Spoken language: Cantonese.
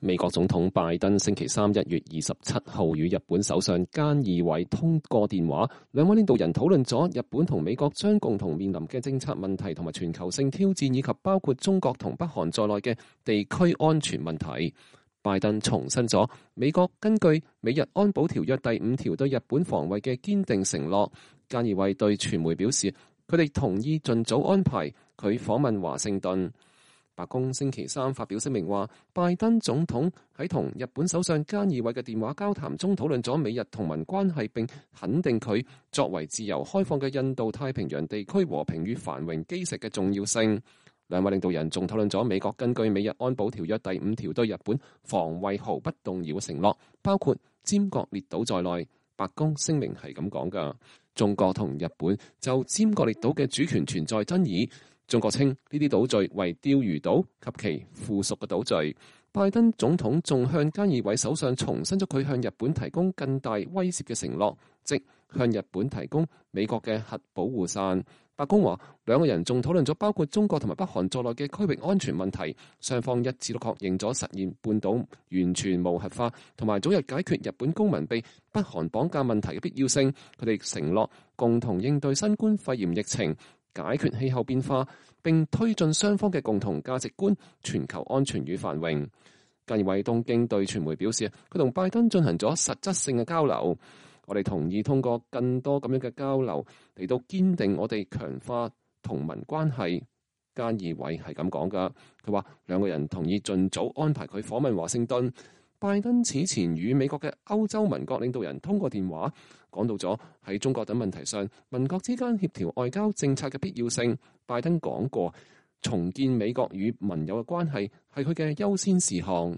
美國總統拜登星期三1月27號與日本首相菅義偉通過電話，兩位領導人討論咗日本同美國將共同面臨嘅政策問題同埋全球性挑戰，以及包括中國同北韓在內嘅地區安全問題。拜登重申咗美國根據美日安保條約第5條對日本防衛嘅堅定承諾。菅義偉對傳媒表示，佢哋同意盡早安排佢訪問華盛頓。白宮星期三發表聲明話，拜登總統喺同日本首相菅義偉嘅電話交談中討論咗美日同盟關係，並肯定佢作為自由開放嘅印度太平洋地區和平與繁榮基石嘅重要性。兩位領導人仲討論咗美國根據美日安保條約第5條對日本防衛毫不動搖嘅承諾，包括尖閣列島在內。白宮聲明係咁講㗎。中國同日本就尖閣列島嘅主權存在爭議。中國稱呢啲島嶼為釣魚島及其附屬嘅島嶼。拜登總統仲向菅義偉首相重申咗佢向日本提供更大威懾嘅承諾，即向日本提供美國嘅核保護傘。白宮話，兩個人仲討論咗包括中國同埋北韓在內嘅區域安全問題，雙方一致都確認咗實現半島完全無核化同埋早日解決日本公民被北韓綁架問題嘅必要性。佢哋承諾共同應對新冠肺炎疫情，解決氣候變化，並推進雙方嘅共同價值觀、全球安全與繁榮。菅義偉東京對傳媒表示，佢同拜登進行咗實質性嘅交流。我哋同意通過更多咁樣嘅交流嚟到堅定我哋強化同盟關係。菅義偉係咁講㗎，佢話兩個人同意盡早安排佢訪問華盛頓。拜登此前與美國嘅歐洲盟國領導人通過電話，講到咗喺中國等問題上盟國之間協調外交政策嘅必要性。拜登講過，重建美國與盟友嘅關係係佢嘅優先事項。